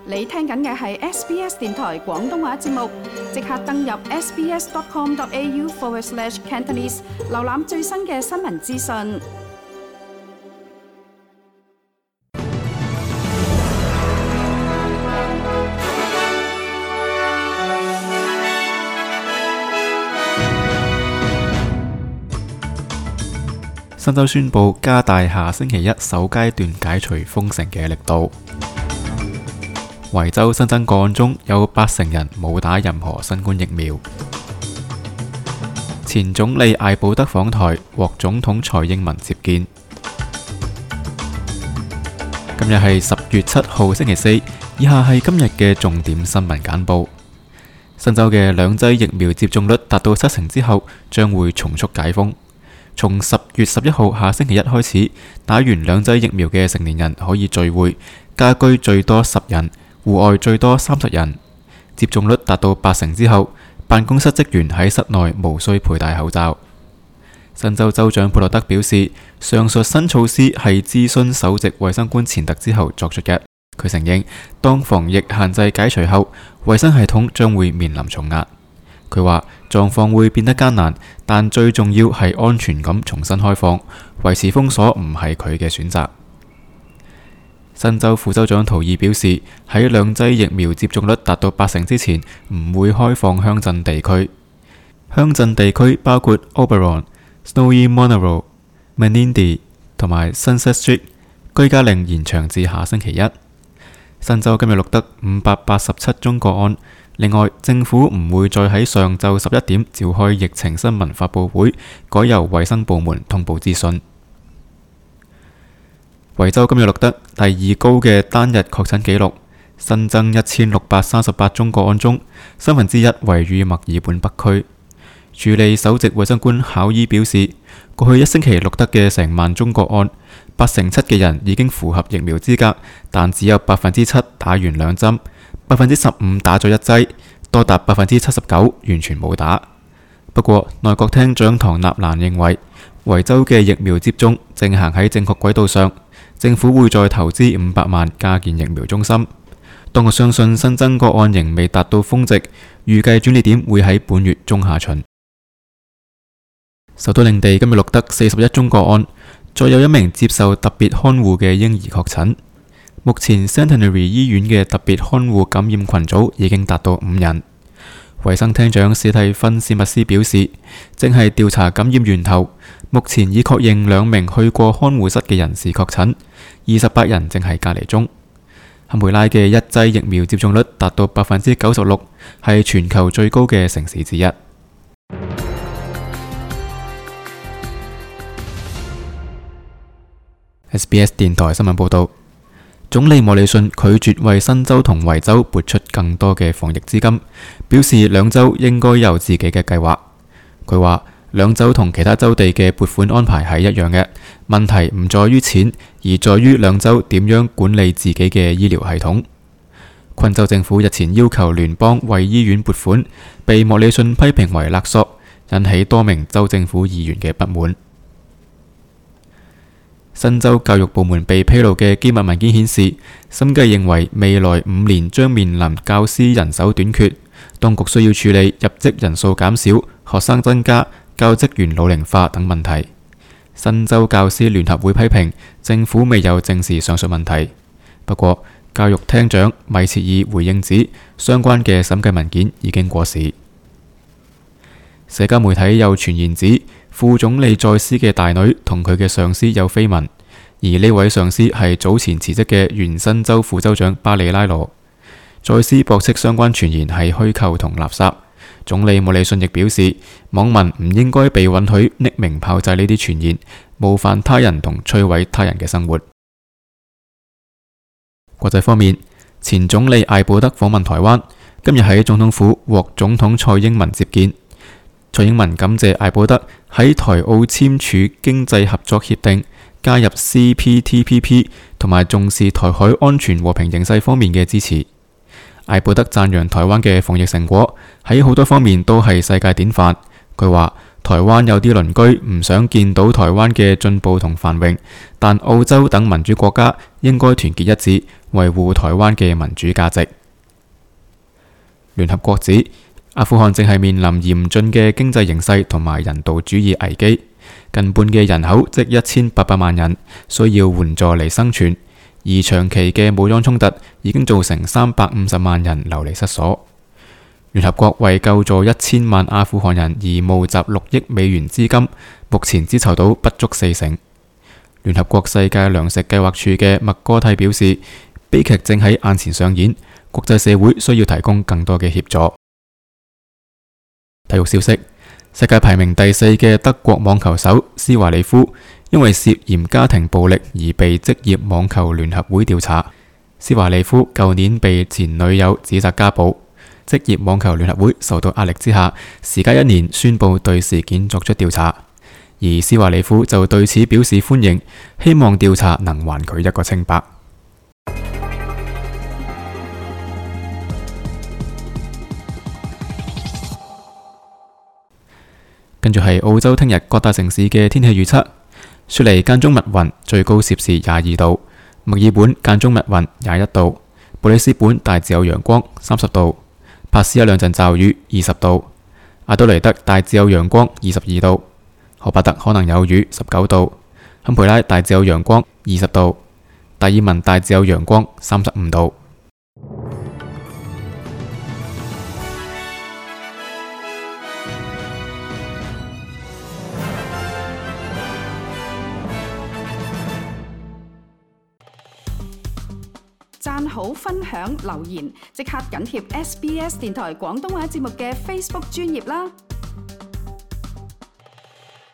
你聽緊嘅係 SBS 電台廣東話節目，即刻登入 sbs.com.au/Cantonese 瀏覽最新嘅新聞資訊。新州宣布加大下星期一首階段解除封城嘅力度。維州新增個案中有80%人冇打任何新冠疫苗。前總理艾保德訪台，獲總統蔡英文接見。今日係10月7號星期四，以下係今日嘅重點新聞簡報。新州嘅兩劑疫苗接種率達到70%之後，將會從速解封。從10月11號下星期一開始，打完兩劑疫苗嘅成年人可以聚會，家居最多10人，戶外最多30人。接種率達到80%之後，辦公室職員喺室內無需佩戴口罩。新州州長佩洛德表示，上述新措施係諮詢首席衛生官錢特之後作出嘅。佢承認，當防疫限制解除後，衛生系統將會面臨重壓。佢話狀況會變得艱難，但最重要係安全咁重新開放，維持封鎖唔係佢嘅選擇。新州副州長圖爾表示，喺兩劑疫苗接種率達到80%之前，唔會開放鄉鎮地區。鄉鎮地區包括 Oberon、Snowy Monaro、Menindee 同埋 Sunset Street， 居家令延長至下星期一。新州今日錄得587宗個案。另外，政府唔會再喺上晝11點召開疫情新聞發佈會，改由衛生部門通報資訊。維州今日錄得第二高嘅單日確診紀錄，新增1638宗個案中，三分之一位於墨爾本北區。署理首席衛生官考伊表示，過去一星期錄得嘅成萬宗個案，87%嘅人已經符合疫苗資格，但只有7%打完兩針。15%打咗一劑，多達79%完全冇打。不過，內閣廳長唐納蘭認為，維州嘅疫苗接種正行喺正確軌道上，政府會再投資500萬加建疫苗中心。當局相信新增個案仍未達到峰值，預計轉捩點會喺本月中下旬。首都領地今日錄得41宗個案，再有一名接受特別看護嘅嬰兒確診。目前 Centenary 醫院嘅特別看護感染群組已經達到5人。衛生廳長史蒂芬史密斯表示，正係調查感染源頭，目前已確認2名去過看護室嘅人士確診，28人正係隔離中。堪培拉嘅一劑疫苗接種率達到96%，係全球最高嘅城市之一。SBS 電台新聞報道。總理莫里遜拒絕為新州同維州撥出更多嘅防疫資金，表示兩州應該有自己嘅計劃。佢話兩州同其他州地嘅撥款安排係一樣嘅，問題唔在於錢，而在於兩州點樣管理自己嘅醫療系統。昆州政府日前要求聯邦為醫院撥款，被莫里遜批評為勒索，引起多名州政府議員嘅不滿。新州教育部門被披露嘅機密文件顯示，審計認為未來5年將面臨教師人手短缺，當局需要處理入職人數減少、學生增加、教職員老齡化等問題。新州教師聯合會批評政府未有正視上述問題。不過，教育廳長米切爾回應指，相關嘅審計文件已經過時。社交媒體有傳言指，副總理在斯嘅大女同佢嘅上司有緋聞，而呢位上司係早前辭職嘅原新州副州長巴里拉羅。在斯駁斥相關傳言係虛構同垃圾。總理莫里遜亦表示，網民唔應該被允許匿名炮製呢啲傳言，冒犯他人同摧毀他人嘅生活。國際方面，前總理艾保德訪問台灣，今日喺總統府獲總統蔡英文接見。蔡英文感謝艾保德喺台澳簽署經濟合作協定、加入 CPTPP 同埋重視台海安全和平形勢方面嘅支持。艾保德讚揚台灣嘅防疫成果喺好多方面都係世界典範。佢話台灣有啲鄰居唔想見到台灣嘅進步同繁榮，但澳洲等民主國家應該團結一致，維護台灣嘅民主價值。聯合國指，阿富汗正係面臨嚴峻嘅經濟形勢同埋人道主義危機，近半嘅人口即1800萬人需要援助嚟生存，而長期嘅武裝衝突已經造成350萬人流離失所。聯合國為救助1000萬阿富汗人而募集6億美元資金，目前只籌到不足40%。聯合國世界糧食計劃處嘅麥哥蒂表示，悲劇正喺眼前上演，國際社會需要提供更多嘅協助。體育消息：世界排名第4嘅德國網球手施華利夫因為涉嫌家庭暴力而被職業網球聯合會調查。施華利夫舊年被前女友指責家暴，職業網球聯合會受到壓力之下，時隔1年宣布對事件作出調查。而施華利夫就對此表示歡迎，希望調查能還佢一個清白。跟住係澳洲聽日各大城市嘅天氣預測：雪梨間中密雲，最高攝氏22度；墨爾本間中密雲，21度；布里斯本大致有陽光，30度；珀斯一兩陣驟雨，20度；阿德雷德大致有陽光，22度；荷伯特可能有雨，19度；坎培拉大致有陽光，20度；達爾文大致有陽光，35度。讚好、分享、留言，即刻緊貼SBS 電台廣東話節目嘅 Facebook 專頁啦！